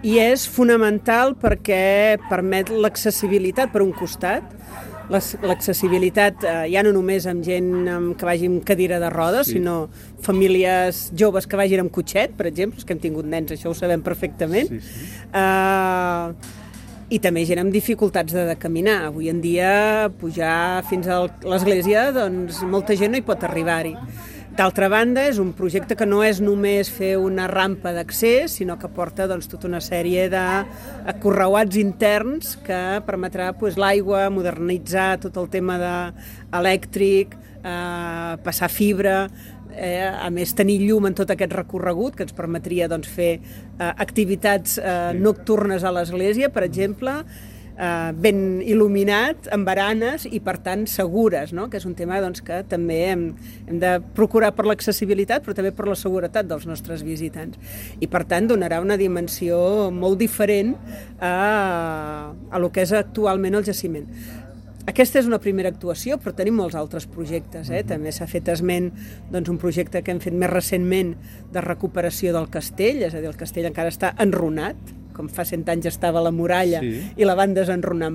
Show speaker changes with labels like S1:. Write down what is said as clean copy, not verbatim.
S1: i és fonamental perquè permet l'accessibilitat per un costat, l'accessibilitat ja no només amb gent que vagi amb cadira de rodes, sinó famílies joves que vagin amb cotxet, per exemple, que hem tingut nens, això ho sabem perfectament, i també gent amb dificultats de caminar. Avui en dia pujar fins a l'església, doncs molta gent no hi pot arribar-hi. D'altra banda, és un projecte que no és només fer una rampa d'accés, sinó que porta tota una sèrie de correuats interns que permetrà l'aigua, modernitzar tot el tema elèctric, passar fibra, a més tenir llum en tot aquest recorregut que ens permetria fer activitats nocturnes a l'església, per exemple, ben il·luminat, amb baranes i, per tant, segures, no? Que és un tema que també hem de procurar per l'accessibilitat, però també per la seguretat dels nostres visitants. I, per tant, donarà una dimensió molt diferent a lo que és actualment el jaciment. Aquesta és una primera actuació, però tenim molts altres projectes. També s'ha fet esment un projecte que hem fet més recentment de recuperació del castell, és a dir, el castell encara està enrunat, com fa 100 anys estava la muralla i la van desenrunar en